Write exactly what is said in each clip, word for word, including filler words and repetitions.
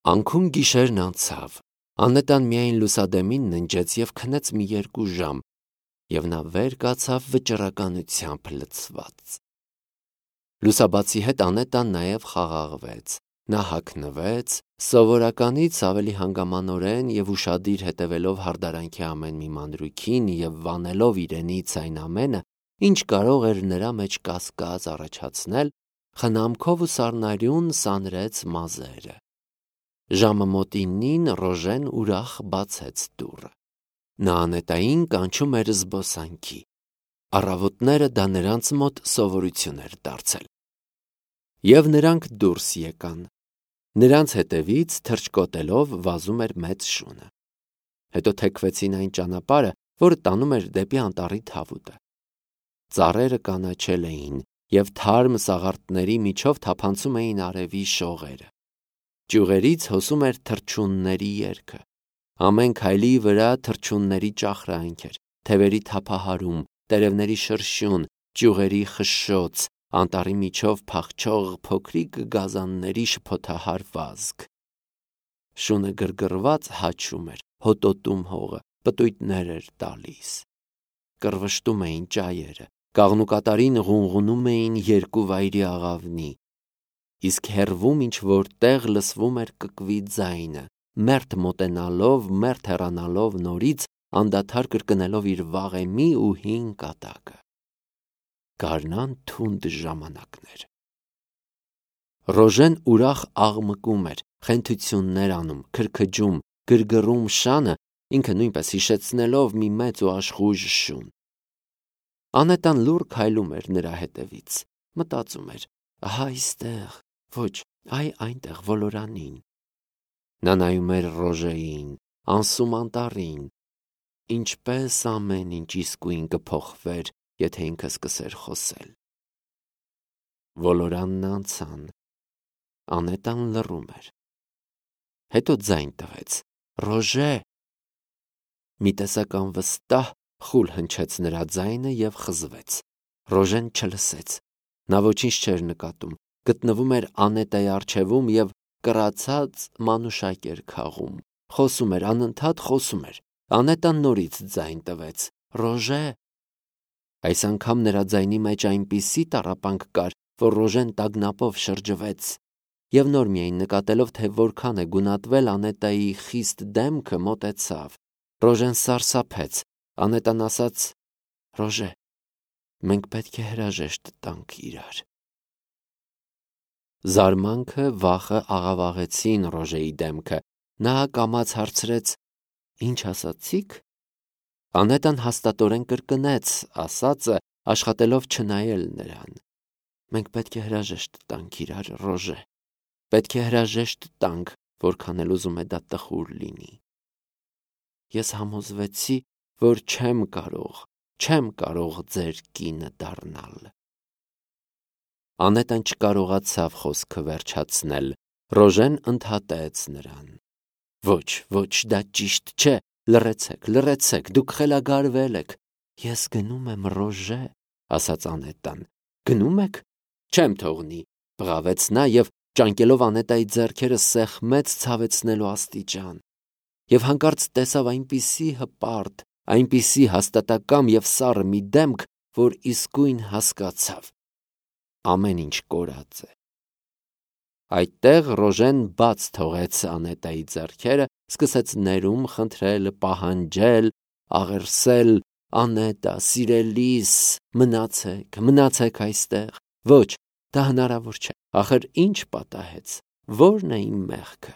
Անքուն գիշերն անցավ, Անետան միայն լուսադեմին ննջեց և քնեց մի երկու ժամ, և նա վեր կացավ վճռականությամբ լցված։ Լուսաբացի հետ Անետան նաև խաղաղվեց, նա հագնվեց, սովորականից ավելի հանգամանորեն և ուշադիր հետևելով հարդարանքի ամեն մի մանրույքին և վանելով իրենից այն ամենը, ինչ կարող էր նրա մեջ կասկած առաջացնել, խնամքով ու սառնարյուն սանրեց մազերը։ Ժամը մոտինին Ռոժեն ուրախ բացեց դուռը։ Նա Անետային կանչում էր զբոսանքի։ Առավոտները դա նրանց մոտ սովորություն էր դարձել։ Եվ նրանք դուրս եկան։ Նրանց հետևից թռչկոտելով վազում էր մեծ շունը։ Հետո թեքվեցին այն ճանապարհը, որը տանում էր դեպի անտառի թավուտը։ Ծառերը կանաչել էին, և թարմ սաղարթների միջով թափանցում էին արևի շողերը։ Ճյուղերից հոսում էր թռչունների երգը։ Ամեն քայլի վրա թռչունների ճախրանք էր, թևերի թափահարում, տերևների շրշյուն, ճյուղերի խշշոց, անտառի միջով փախչող փոքրիկ գազանների շփոթահար վազք։ Շունը գրգռված հաչում էր, հոտոտում հողը, պտույտներ էր տալիս։ Կռվշտում էին ճայերը, կաղնուկատարին ղունղունում էին երկու վայրի աղավնի, իսկ հեռվում ինչ-որ տեղ լսվում էր կկվի ձայնը, մերթ մոտենալով, մերթ հեռանալով նորից, անդադար կրկնելով իր վաղեմի ու հին կատակը։ Գարնան թունդ ժամանակներ։ Ռոժեն ուրախ աղմկում էր, խենթություններ անում, քրքջում, գրգռում շանը, ինքը նույնպես հիշեցնելով մի մեծ ու աշխույժ շուն։ Անետան լուռ քայլում էր նրա հետևից, մտածում էր. ահա այստեղ, ոչ, այ այնտեղ ոլորանին։ Նա նայում էր Ռոժեին, անսում անտառին, ինչպես ամեն ինչ իսկույն կփոխվեր, եթե ինքը սկսեր խոսել։ Ոլորանն անցան։ Անետան լռում էր։ Հետո ձայն տվեց. «Ռոժե»։ Մի տեսակ անվստահ խուլ հնչեց նրա ձայնը և խզվեց։ Ռոժեն չլսեց։ Նա ոչինչ չէր նկատում, գտնվում էր Անետայի առջևում և կռացած մանուշակ էր քաղում, խոսում էր, անընդհատ խոսում էր։ Անետան նորից ձայն տվեց. «Ռոժե»։ Այս անգամ նրա ձայնի մեջ այնպիսի տառապանք կար, որ Ռոժեն տագնապով շրջվեց, և նոր միայն նկատելով, թե որքան է գունատվել Անետայի խիստ դեմքը, մոտեցավ։ Ռոժեն սարսափեց։ Անետան ասաց. «Ռոժե, մենք պետք է հրաժեշտ տանք իրար»։ Զարմանքը, վախը աղավաղեցին Ռոժեի դեմքը։ Նա կամաց հարցրեց. «Ինչ ասացիք»։ Անետան հաստատորեն կրկնեց ասածը, աշխատելով չնայել նրան։ «Մենք պետք է հրաժեշտ տանք իրար, Ռոժե, պետք է հրաժեշտ տանք, որքան էլ ուզում է դա տխուր լինի։ Ես համոզվեցի, որ չեմ կարող, չեմ կարող ձեր կինը դառնալ»։ Անետան չկարողացավ խոսքը վերջացնել։ Ռոժեն ընդհատեց նրան. «Ոչ, ոչ, դա ճիշտ չէ, լռեցեք, լռեցեք, դուք խելագարվել եք»։ «Ես գնում եմ, Ռոժե», ասաց Անետան։ «Գնում եք»։ «Չեմ թողնի», բղավեց նա և ճանկելով Անետայի ձեռքերը սեղմեց ցավեցնելու աստիճան։ Եվ հանկարծ տեսավ այնպիսի հպարտ, այնպիսի հաստատակամ և սառը մի դեմք, որ իսկույն հասկացավ. ամեն ինչ կորած է։ Այդտեղ Ռոժեն բաց թողեց Անետայի ձեռքերը, սկսեց ներում խնդրել, պահանջել, աղերսել. «Անետա, սիրելիս, մնացեք, մնացեք այստեղ»։ Ոչ, դա հնարավոր չէ։ Ախր ինչ պատահեց, ո՞րն է իմ մեղքը։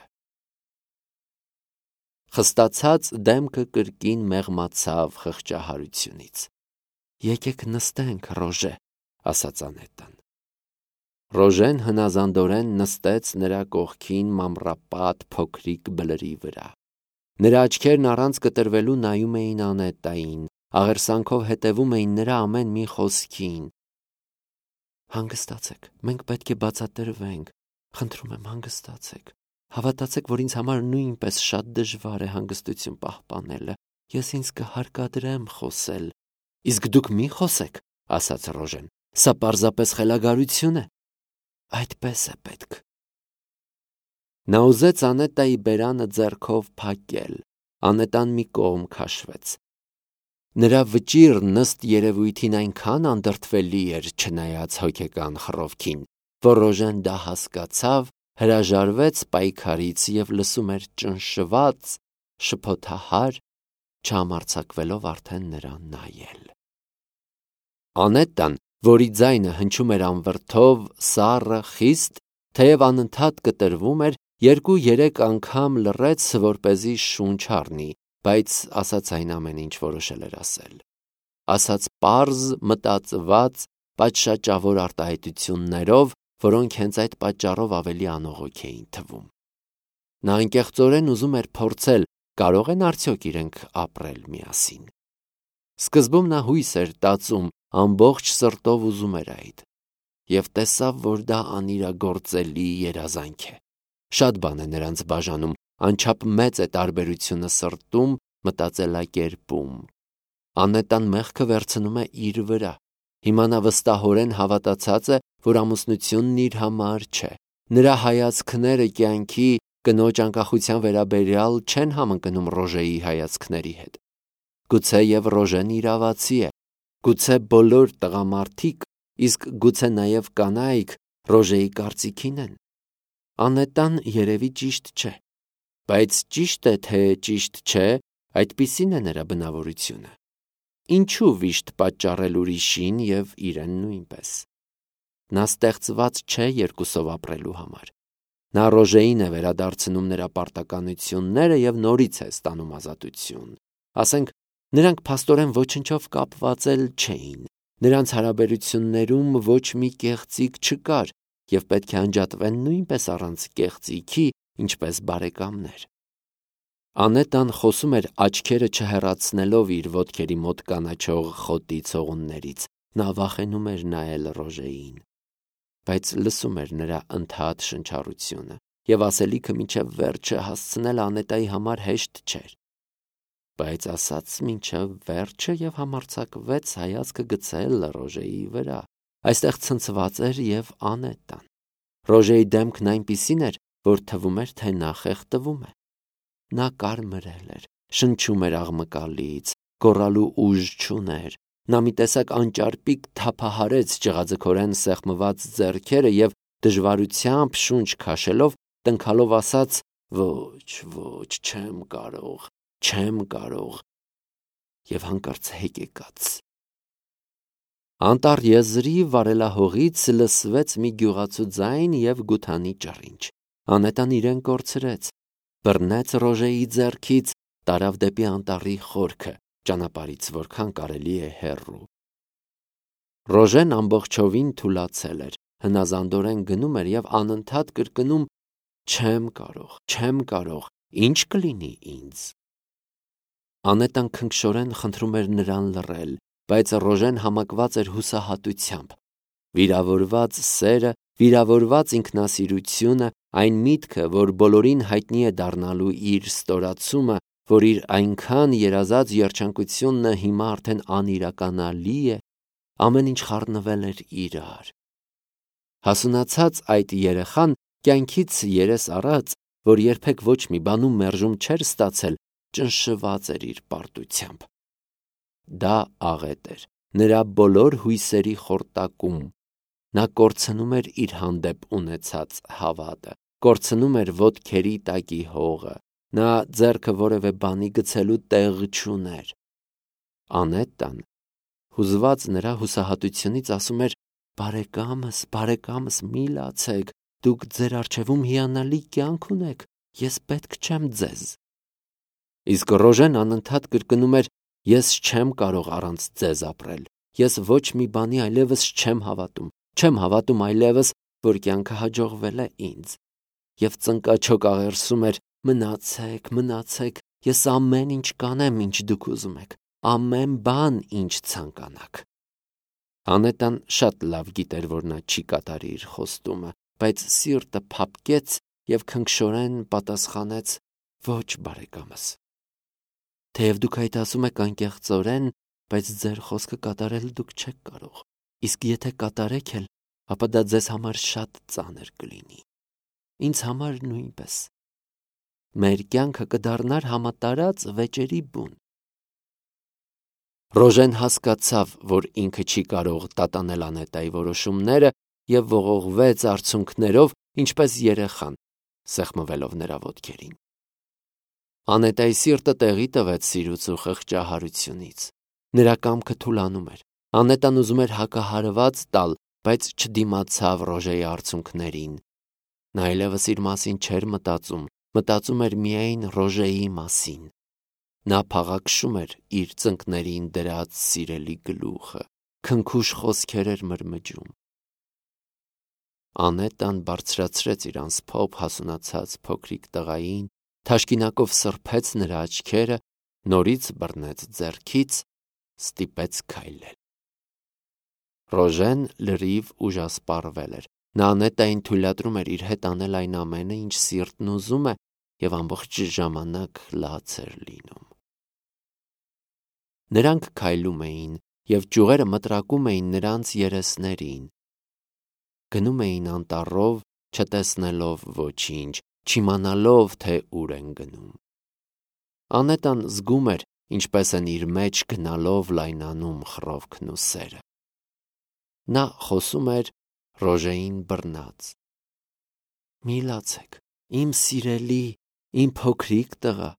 Խստացած դեմքը կրկին մեղմացավ խղճահարությունից։ «Եկեք նստենք, Ռոժե», ասաց Անետան։ Ռոժեն հնազանդորեն նստեց նրա կողքին մամռապատ փոքրիկ բլրի վրա։ Նրա աչքերն առանց կտրվելու նայում էին Անետային, աղերսանքով հետևում էին նրա ամեն մի խոսքին։ «Հանգստացեք, մենք պետք է բացատրվենք, խնդրում եմ, հանգստացեք։ Հավատացեք, որ ինձ համար նույնպես շատ դժվար է հանգստություն պահպանելը։ Ես ինձ կհարկադրեմ խոսել»։ «Իսկ դուք մի խոսեք», ասաց Ռոժեն։ «Սա պարզապես խելագարություն է»։ «Այդպես է պետք»։ Նա ուզեց Անետայի բերանը ձեռքով փակել, Անետան մի կողմ քաշվեց։ Նրա վճիռն ըստ երևույթին այնքան անդրդվելի էր, չնայած հոգեկան խռովքին, որ Ռոժեն դա հասկացավ, հրաժարվեց պայքարից և լսում էր ճնշված, շփոթահար, չհամարձակվելով արդեն նրան նայել։ Անետան, որի ձայնը հնչում էր անվրդով, սառը, խիստ, թեև անընդհատ կտրվում էր, երկու-երեք անգամ լռեց, որպեսզի շունչ առնի, բայց ասաց այն ամեն ինչ որոշել էր ասել։ Ասաց պարզ, մտածված, պատշաճավոր արտահայտություններով, որոնք հենց այդ պատճառով ավելի անողոք էին թվում։ Նա անկեղծորեն ուզում էր փորձել, կարող են արդյոք իրենք ապրել միասին։ Սկզբում նա հույս էր տածում, ամբողջ սրտով ուզում էր այդ, և տեսավ, որ դա անիրագործելի երազանք է։ Շատ բան է նրանց բաժանում, անչափ մեծ է տարբերությունը սրտում, մտածելակերպում։ Անետան մեղքը վերցնում է իր վրա։ Հիմա նա վստահորեն հավատացած է, որ ամուսնությունն իր համար չէ։ Նրա հայացքները կյանքի, կնոջ անկախության վերաբերյալ չեն համընկնում Ռոժեի հայացքների հետ։ Գուցե և Ռոժեն իրավացի է, գուցե բոլոր տղամարդիկ, իսկ գուցե նաև կանայք Ռոժեի կարծիքին են։ Անետան երևի ճիշտ չէ, բայց ճիշտ է, թե ճիշտ չէ, այդպիսին է նրա բնավորությունը։ Ինչու վիշտ պատճառել ուրիշին և իրեն նույնպես։ Նա ստեղծված չէ երկուսով ապրելու համար։ Նա Ռոժեին է վերադարձնում նրա պարտականությունները և նորից է ստանում ազատություն։ Ասենք, նրանք փաստորեն ոչնչով կապված էլ չէին։ Նրանց հարաբերություններում ոչ մի կեղծիք չկար և պետք է անջատվեն նույնպես առանց կեղծիքի, ինչպես բարեկամներ։ Անետան խոսում էր աչքերը չհեռացնելով իր ոտքերի մոտ կանաչող խոտի ցողուններից։ Նա վախենում էր նայել Ռոժեին, բայց լսում էր նրա ընդհատ շնչառությունը, և ասելիքը մինչև վերջը հասցնել Անետայի համար հեշտ չէր։ Բայց ասաց մինչև վերջը և համարձակվեց հայացքը գցել Ռոժեի վրա։ Այստեղ ցնցված էր և Անետան։ Ռոժեի դեմքն այնպիսին էր, որ թվում էր, թե նա խեղդվում է։ Նա կարմրել էր, շնչում էր աղմկալից, գոռալու ուժ չուներ։ Նա մի տեսակ անճարպիկ թափահարեց ճղաձգորեն սեղմված ձեռքերը և դժվարությամբ շունչ քաշելով, տնքալով ասաց. «Ոչ, ոչ, չեմ կարող, չեմ կարող» և հանկարծ հեկեկաց։ Անտառ եզրի վարելահողից լսվեց մի գյուղացու ձայն և գութանի ճռինչ։ Անետան իրեն կորցրեց, բռնեց Ռոժեի ձեռքից, տարավ դեպի անտառի խորքը, ճանապարհից որքան կարելի է հեռու։ Ռոժեն ամբողջովին թուլացել էր, հնազանդորեն գնում էր և անընդհատ կրկնում. «Չեմ կարող, չեմ կարող, ի՞նչ կլինի ինձ»։ Անետան քնքշորեն խնդրում էր նրան լռել, բայց Ռոժեն համակված էր հուսահատությամբ։ Վիրավորված սերը, վիրավորված ինքնասիրությունը, այն միտքը, որ բոլորին հայտնի է դառնալու իր ստորացումը, որ իր այնքան երազած երջանկությունն հիմա արդեն անիրականալի է, ամեն ինչ խառնվել էր իրար։ Հասունացած այդ երեխան կյանքից երես առած, որ երբեք ոչ մի բանում մերժում չէր ստացել, ճնշված էր իր պարտությամբ։ Դա աղետ էր, նրա բոլոր հույսերի խորտակում։ Նա կորցնում էր իր հանդեպ ունեցած հավատը, կորցնում էր ոտքերի տակի հողը, նա ձեռքը որևէ բանի գցելու տեղ չուներ։ Անետան, հուզված նրա հուսահատությունից, ասում էր. «Բարեկամս, բարեկամս, մի լացեք, դուք ձեր առջևում հիանալի կյանք ունեք, ես պետք չեմ ձեզ»։ Իսկ Ռոժեն անընդհատ կրկնում էր. «Ես չեմ կարող առանց ձեզ ապրել, ես ոչ մի բանի այլևս չեմ հավատում, չեմ հավատում այլևս, որ կյանքը հաջողվել է ինձ»։ Եվ ծնկաչոք աղերսում էր. «Մնացեք, մնացեք, ես ամեն ինչ կանեմ, ինչ դուք ուզում եք, ամեն բան, ինչ ցանկանաք»։ Անետան շատ լավ գիտեր, որ նա չի կատարի իր խոստումը, բայց սիրտը փափկեց և քնքշորեն պատասխանեց. «Ոչ, բարեկամս, թեև դուք այդ ասում եք անկեղծորեն, բայց ձեր խոսքը կատարել դուք չեք կարող, իսկ եթե կատարեք էլ, ապա դա ձեզ համար շատ ծանր կլինի»։ ինձ համար նույնպես։ Մեր կյանքը կդառնար համատարած վեճերի բուն։ Ռոժեն հասկացավ, որ ինքը չի կարող տատանել Անետայի որոշումները և ողողվեց արցունքներով, ինչպես երեխան, սեղմվելով նրա ոտքերին։ Անետայի սիրտը տեղի տվեց սիրուց ու խղճահարությունից։ Նրա կամքը թուլանում էր։ Անետան ուզում էր հակահարված տալ, բայց չդիմացավ Ռոժեի արցունքներին։ Նա այլևս իր մասին չէր մտածում, մտածում էր միայն Ռոժեի մասին։ Նա փաղաքշում էր իր ծնկներին դրած սիրելի գլուխը, քնքուշ խոսքեր էր մրմջում։ Անետան բարձրացրեց իր անսփոփ հասունացած փոքրիկ տղային, թաշկինակով սրբեց նրա աչքերը, նորից բռնեց ձեռքից, ստիպեց քայլել։ Ռոժեն լրիվ ուժասպառվել էր։ Նա Անետային թույլատրում էր իր հետ անել այն ամենը, ինչ սիրտն ուզում է, և ամբողջ ժամանակ լաց էր լինում։ Նրանք քայլում էին, և ճյուղերը մտրակում էին նրանց երեսներին։ Գնում էին անտառով, չտեսնելով ոչինչ, չիմանալով, թե ուր են գնում։ Անետան զգում էր, ինչպես են իր մեջ գնալով լայնանում խռովքն ու սերը։ Նա խոսում էր Ռոժեին բռնած. «Մի լացեք, իմ սիրելի, իմ փոքրիկ տղա,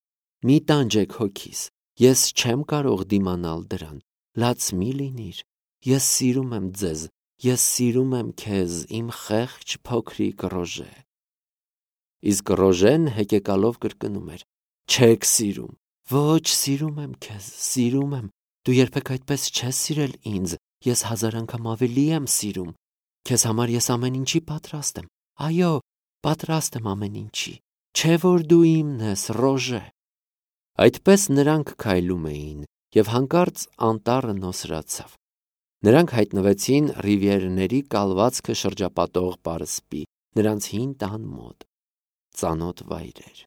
մի տանջեք հոգիս, ես չեմ կարող դիմանալ դրան, լաց մի լինիր, ես սիրում եմ ձեզ, ես սիրում եմ քեզ, իմ խեղճ փոքրիկ Ռոժե»։ Իսկ Ռոժեն հեկեկալով կրկնում էր. «Չեք սիրում, ոչ, սիրում եմ քեզ, սիրում եմ, դու երբեք այդպես չես սիրել ինձ, ես հազար անգամ ավելի եմ սիրում, քեզ համար ես ամեն ինչի պատրաստ եմ, այո, պատրաստ եմ ամեն ինչի, չէ՞ որ դու իմն ես, Ռոժե»։ Այդպես նրանք քայլում էին, և հանկարծ անտառը նոսրացավ։ Նրանք հայտնվեցին Ռիվիերների կալվածքը շրջապատող պարսպի, նրանց հին տան մոտ։ Ծանոթ վայր էր։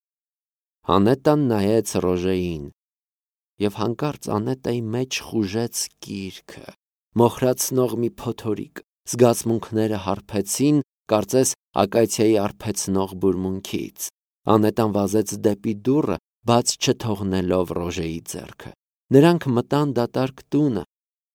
Անետան նայեց Ռոժեին, և հանկարծ Անետայի մեջ խուժեց կիրքը, մոխրացնող մի փոթորիկ, զգացմունքները հարբեցին, կարծես ակացիայի արբեցնող բուրմունքից։ Անետան վազեց դեպի դուռը, բաց չթողնելով Ռոժեի ձեռքը։ Նրանք մտան դատարկ տունը,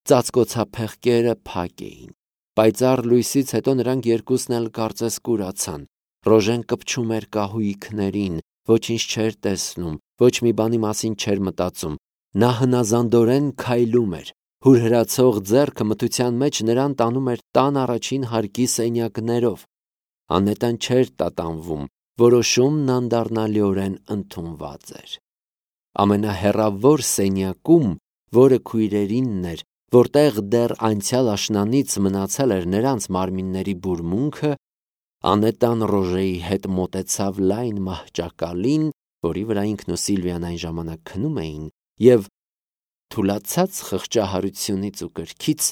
ծածկոցափեղկերը փակ էին։ Պայծառ լույսից հետո նրանք երկուսն էլ կարծես կուրացան։ Ռոժեն կպչում էր կահույքներին, ոչինչ չէր տեսնում, ոչ մի բանի մասին չէր մտածում։ Նա հնազանդորեն քայլում էր։ Հուրհրացող ձեռքը մթության մեջ նրան տանում էր տան առաջին հարկի սենյակներով։ Անետան չէր տատանվում, որոշումն անդառնալիորեն ընդունված էր։ Ամենահեռավոր սենյակում, որը քույրերինն էր, որտեղ դեռ անցյալ աշնանից մնացել էր նրանց մարմինների բուրմունքը, Անետան Ռոժեի հետ մոտեցավ լայն մահճակալին, որի վրա ինքն ու Սիլվիան այն ժամանակ քնում էին, և թուլացած խղճահարությունից ու կրքից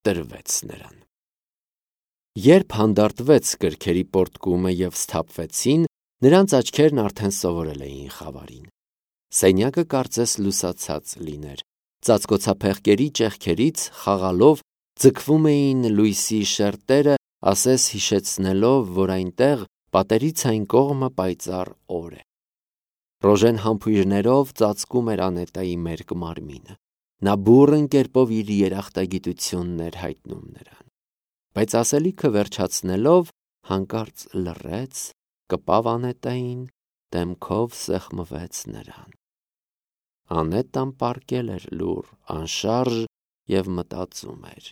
տրվեց նրան։ Երբ հանդարտվեց կրքերի պոռթկումը և սթափվեցին, նրանց աչքերն արդեն սովորել էին խավարին։ Սենյակը կարծես լուսացած լիներ։ Ծածկոցափեղկերի ճեղքերից խաղալով ձգվում էին լույսի շերտերը, ասես հիշեցնելով, որ այնտեղ, պատերից այն կողմը, պայծառ օր է։ Ռոժեն համբույրներով ծածկում էր Անետայի մերկ մարմինը։ Նա բուռն կերպով իր երախտագիտությունն էր հայտնում նրան։ Բայց ասելիքը վերջացնելով, հանկարծ լռեց, կպավ Անետային, դեմքով սեղմվեց նրան։ Անետան պառկել էր լուռ, անշարժ և մտածում էր։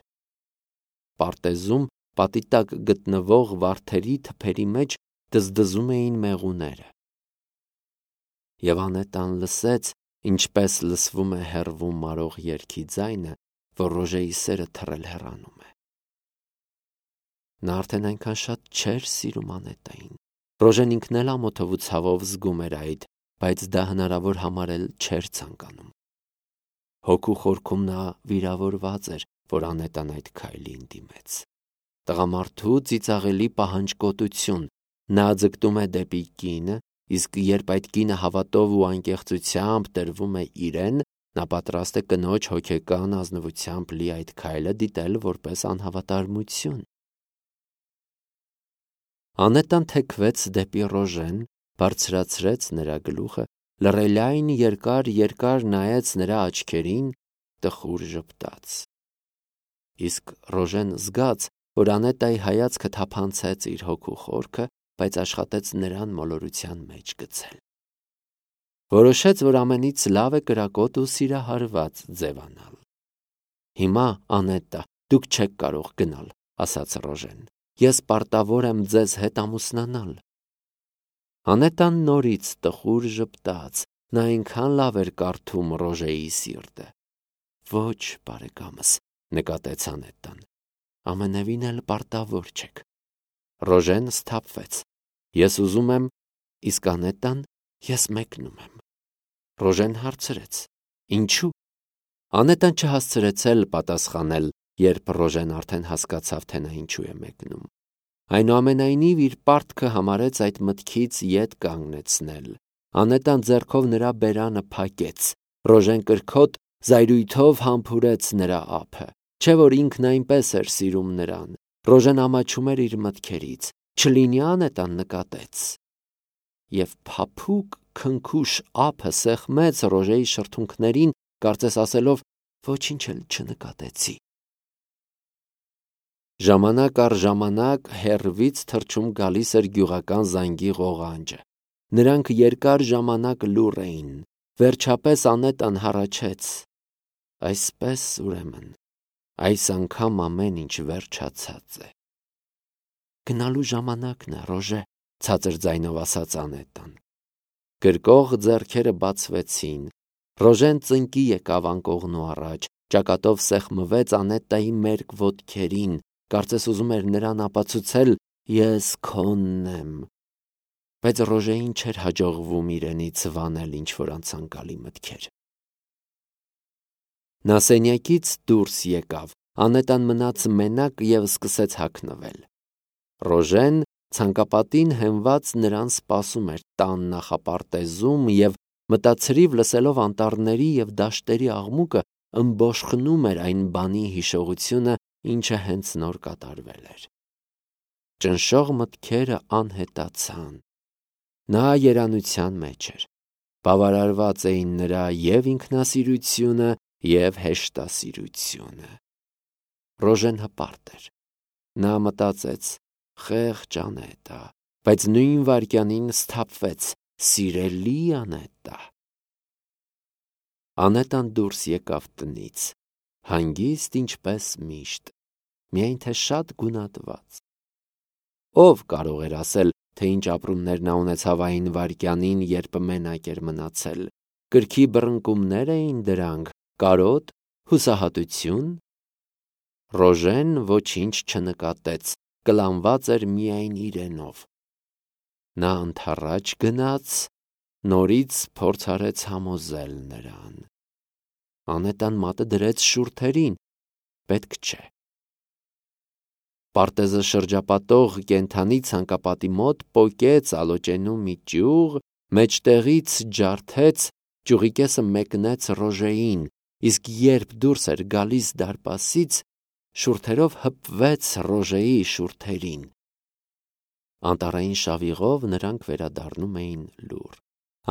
Պարտեզում պատի տակ գտնվող վարդերի թփերի մեջ դզդզում էին մեղուները։ Եվ Անետան լսեց, ինչպես լսվում է հեռվում մարող երգի ձայնը, որ Ռոժեի սերը թռել հեռանում է։ Նա արդեն այնքան շատ չէր սիրում Անետային։ Ռոժեն ինքն էլ ամոթով ու ցավով զգում էր այդ, բայց դա հնարավոր համարել չէր ցանկանում։ Հոգու խորքում նա վիրավորված էր, որ Անետան այդ քայլին դիմեց։ Տղամարդու ծիծաղելի պահանջկոտություն։ Նա ձգտում է դեպի կինը, իսկ երբ այդ կինը հավատով ու անկեղծությամբ տրվում է իրեն, նա պատրաստ է կնոջ հոգեկան ազնվությամբ լի այդ քայլը դիտել որպես անհավատարմություն։ Անետան թեքվեց դեպի Ռոժեն, բարձրացրեց նրա գլուխը, լռելային երկար-երկար նայեց նրա աչքերին, տխուր ժպտաց։ Իսկ Ռոժեն զգաց, որ Անետայի հայացքը թափանցեց իր հոգու խորքը, բայց աշխատեց նրան մոլորության մեջ գցել։ Որոշեց, որ ամենից լավ է կրակոտ ու սիրահարված ձևանալ։ Հիմա, Անետա, դուք չեք կարող գնալ, ասաց Ռոժեն, ես պարտավոր եմ ձեզ հետ ամուսնանալ։ Անետան նորից տխուր ժպտաց, նա այնքան լավ էր կարդում Ռոժեի սիրտը։ Ոչ, բարեկամս, նկատեց Անետան, ամենևին էլ պարտավոր չեք։ Ռոժեն սթափվեց։ Ես ուզում եմ, իսկ Անետան, ես մեկնում եմ։ Ռոժեն հարցրեց. Ինչու՞։ Անետան չհասցրեց էլ պատասխանել, երբ Ռոժեն արդեն հասկացավ, թե նա ինչու է մեկնում։ Այնուամենայնիվ իր պարտքը համարեց այդ մտքից ետ կանգնեցնել։ Անետան ձեռքով նրա բերանը փակեց։ Ռոժեն կրքոտ զայրույթով համբուրեց նրա ափը։ Չէ որ ինքն այնպես էր սիրում նրան։ Ռոժեն ամաչում էր իր մտքերից։ Չլինի Անետան նկատեց։ Եվ փափուկ քնքուշ ափը սեղմեց Ռոժեի շրթունքներին, կարծես ասելով, ոչինչ էլ չնկատեցի։ Ժամանակ առ ժամանակ հեռվից թռչում գալիս էր գյուղական զանգի ղողանջը։ Նրանք երկար ժամանակ լուռ էին։ Վերջապես Անետան հառաչեց. Այսպես, ուրեմն, այս անգամ ամեն ինչ վերջացած է։ Գնալու ժամանակն է, Ռոժե, ցածր ձայնով ասաց Անետան։ Գրկող ձեռքերը բացվեցին։ Ռոժեն ծնկի եկավ անկողնու առաջ, ճակատով սեղմվեց Անետայի մերկ ոտքերին, կարծես ուզում էր նրան ապացուցել. ես քոնն եմ։ Բայց Ռոժեին չէր հաջողվում իրենից վանել ինչ-որ անցանկալի մտքեր։ Նա սենյակից դուրս եկավ, Անետան մնաց մենակ և սկսեց հագնվել։ Ռոժեն ցանկապատին հենված նրան սպասում էր տան նախապարտեզում և մտացրիվ լսելով անտառների և դաշտերի աղմուկը ըմբոշխնում էր այն բանի հիշողությունը, ինչը հենց նոր կատարվել էր։ Ճնշող մտքերը անհետացան։ Նա երանության մեջ էր։ Բավարարված էին նրա և ինքնասիրությունը, և հեշտասիրությունը։ Ռոժեն հպարտ էր։ Նա մտածեց. խեղճ Անետա, բայց նույն վայրկյանին սթափվեց. սիրելի Անետա։ Անետան դուրս եկավ տնից, հանգիստ ինչպես միշտ, միայն թե շատ գունատված։ Ով կարող էր ասել, թե ինչ ապրումներ նա ունեցավ այն վայրկյանին, երբ մենակ էր մնացել։ Կրքի բռնկումներ էին դրանք, կարոտ, հուսահատություն։ Ռոժեն ոչինչ չնկատեց, կլանված էր միայն իրենով։ Նա ընդառաջ գնաց, նորից փորձ արեց համոզել նրան։ Անետան մատը դրեց շուրթերին, պետք չէ։ Պարտեզը շրջապատող կենդանի ցանկապատի մոտ պոկեց ալոճենու մի ճյուղ, մեջտեղից ջարդեց, ճյուղի կեսը մեկնեց Ռոժեին, իսկ երբ դուրս էր գալիս դարպասից, շուրթերով հպվեց Ռոժեի շուրթերին։ Անտառային շավիղով նրանք վերադառնում էին լուռ։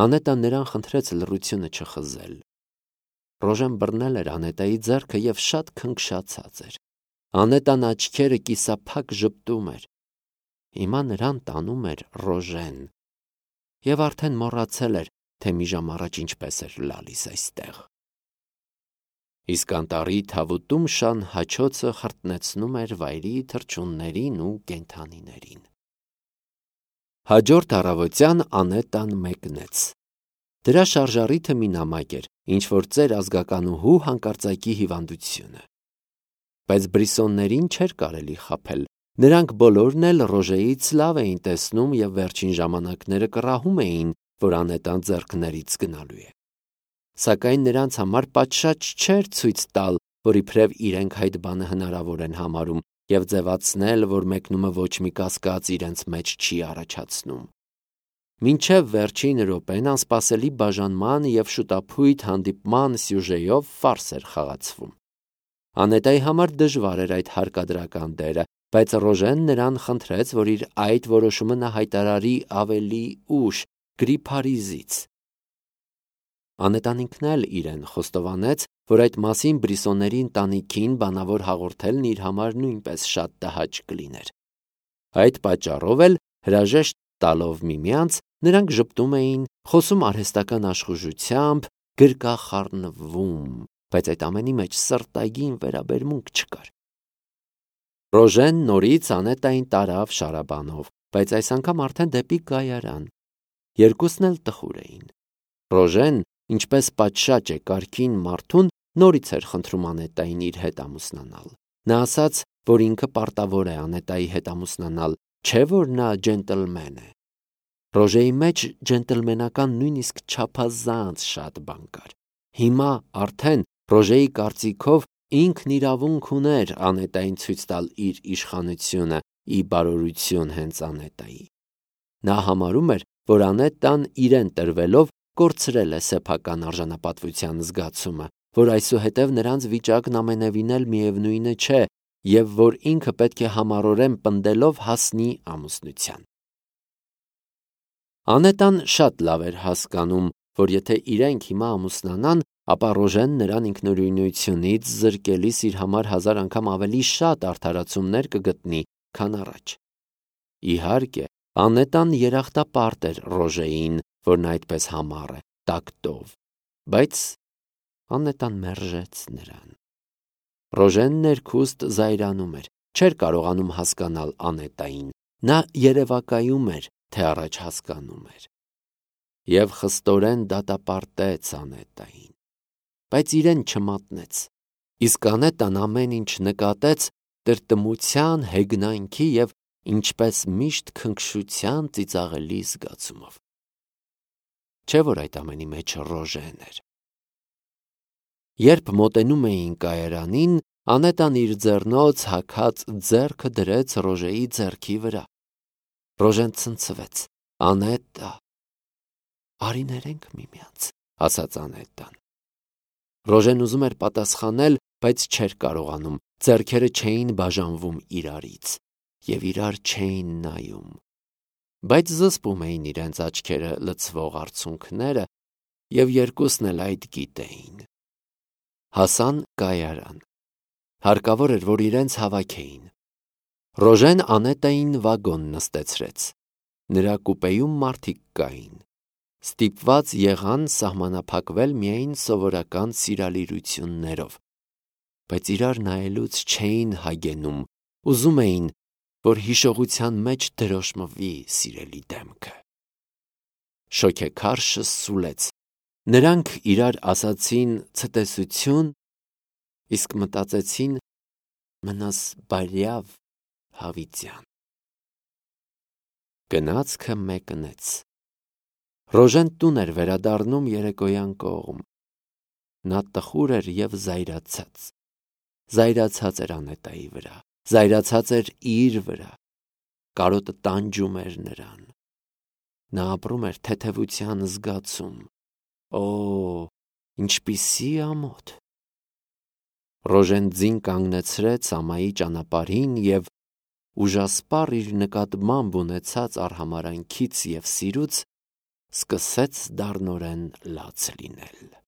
Անետան նրան խնդրեց լռությունը չխզել։ Ռոժեն բռնել էր Անետայի ձեռքը և շատ քնքշացած էր։ Անետան աչքերը կիսափակ ժպտում էր։ Հիմա նրան տանում էր Ռոժեն։ Եվ արդեն մոռացել էր, թե մի ժամ առաջ ինչպես էր լալիս այստեղ։ Իսկ անտառի թավուտում շան հաչոցը խրտնեցնում էր վայրի թռչուններին ու կենդանիներին։ Հաջորդ առավոտյան Անետան մեկնեց։ Դրա շարժառիթը մի նամակ էր, ինչ-որ ծեր ազգականուհու հանկարծակի հիվանդությունը։ Բայց Բրիսոններին չէր կարելի խաբել։ Նրանք բոլորն էլ Ռոժեից լավ էին տեսնում և վերջին ժամանակները կռահում էին, որ Անետան ձեռքներից գնալու է։ Սակայն նրանց համար պատշաճ չէր ցույց տալ, որ իբրև իրենք այդ բանը հնարավոր են համարում և ձևացնել, որ մեկնումը ոչ մի կասկած իրենց մեջ չի առաջացնում։ Մինչև վերջին րոպեն անսպասելի բաժանման և շուտափույթ հանդիպման սյուժեով ֆարս էր խաղացվում։ Անետայի համար դժվար էր այդ հարկադրական դերը, բայց Ռոժեն նրան խնդրեց, որ իր այդ որոշումը նա հայտարարի ավելի ուշ, գրի Փարիզից։ Անետան ինքն էլ իրեն խոստովանեց, որ այդ մասին Բրիսոնների ընտանիքին բանավոր հաղորդելն իր համար նույնպես շատ տհաճ կլիներ։ Այդ պատճառով էլ հրաժեշտ տալով միմյանց, նրանք ժպտում էին, խոսում արհեստական աշխուժությամբ, գրկախառնվում, բայց այդ ամենի մեջ սրտագին վերաբերմունք չկար։ Ռոժեն նորից Անետային տարավ շարաբանով, բայց այս անգամ արդեն դեպի կայարան։ Երկուսն էլ տխուր էին։ Ռոժեն, ինչպես պատշաճ է կարգին մարդուն, նորից էր խնդրում Անետային իր հետ ամուսնանալ։ Նա ասաց, որ ինքը պարտավոր է Անետայի հետ ամուսնանալ, չէ որ նա ջենտլմեն է։ Ռոժեի մեջ ջենտլմենական նույնիսկ չափազանց շատ բան կար։ Հիմա արդեն Ռոժեի կարծիքով ինքն իրավունք ուներ Անետային ցույց տալ իր իշխանությունը ի բարօրություն հենց Անետայի։ Նա համարում էր, որ Անետան իրեն տրվելով կորցրել է սեփական արժանապատվության զգացումը, որ այսուհետև նրանց վիճակն ամենևին էլ միևնույնը չէ և որ ինքը պետք է համառորեն պնդելով հասնի ամուսնության։ Անետան շատ լավ էր հասկանում, որ եթե իրենք հիմա ամուսնանան, ապա Ռոժեն նրան ինքնուրույնությունից զրկելիս իր համար հազար անգամ ավելի շատ արդարացումներ կգտնի, քան առաջ։ Իհարկե, Անետան երախտապարտ էր Ռոժեին, որն այդպես համառ է, տակտով, բայց Անետան մերժեց նրան։ Ռոժեն ներքուստ զայրանում էր, չէր կարողանում հասկանալ Անետային, նա երևակայում էր, թե առաջ հասկանում էր։ Եվ խստորեն դատապարտեց Անետային, բայց իրեն չմատնեց, իսկ Անետան ամեն ինչ նկատեց տրտմության, հեգնանքի և ինչպես միշտ քնքշության ծիծաղելի զգացումով։ Չէ՞ որ այդ ամենի մեջ Ռոժեն էր։ Երբ մոտենում էին կայարանին, Անետան իր ձեռնոց հագած ձեռքը դրեց Ռոժեի ձեռքի վրա։ Ռոժեն ցնցվեց։ Անետա, արի ներենք միմյանց, ասաց Անետան։ Ռոժեն ուզում էր պատասխանել, բայց չէր կարողանում, ձեռքերը չէին բաժանվում իրարից և իրար չէին նայում, բայց զսպում էին իրենց աչքերը լցվող արցունքները և երկուսն էլ այդ գիտեին։ Հասան կայարան։ Հարկավոր էր, որ իրենց հավաքեին։ Ռոժեն Անետային վագոն նստեցրեց։ Նրա կուպեում մարդիկ կային։ Ստիպված եղան սահմանափակվել միայն սովորական սիրալիրություններով, բայց իրար նայելուց չէին հագենում, ուզում էին, որ հիշողության մեջ դրոշմվի սիրելի դեմքը։ Շոգեքարշը սուլեց։ Նրանք իրար ասացին ցտեսություն, իսկ մտածեցին մնաս բարյավ հավիտյան։ Գնացքը մեկնեց։ Ռոժեն տուն էր վերադառնում երեկոյան կողմ։ Նա տխուր էր և զայրացած։ Զայրացած էր Անետայի վրա, զայրացած էր իր վրա։ Կարոտը տանջում էր նրան։ Նա ապրում էր թեթևության զգացում։ Օ, ինչպիսի ամոթ։ Ռոժեն ձին կանգնեցրեց ամայի ճանապարհին և ուժասպառ իր նկատմամբ ունեցած արհամարհանքից և սիրուց սկսեց դառնորեն լաց լինել։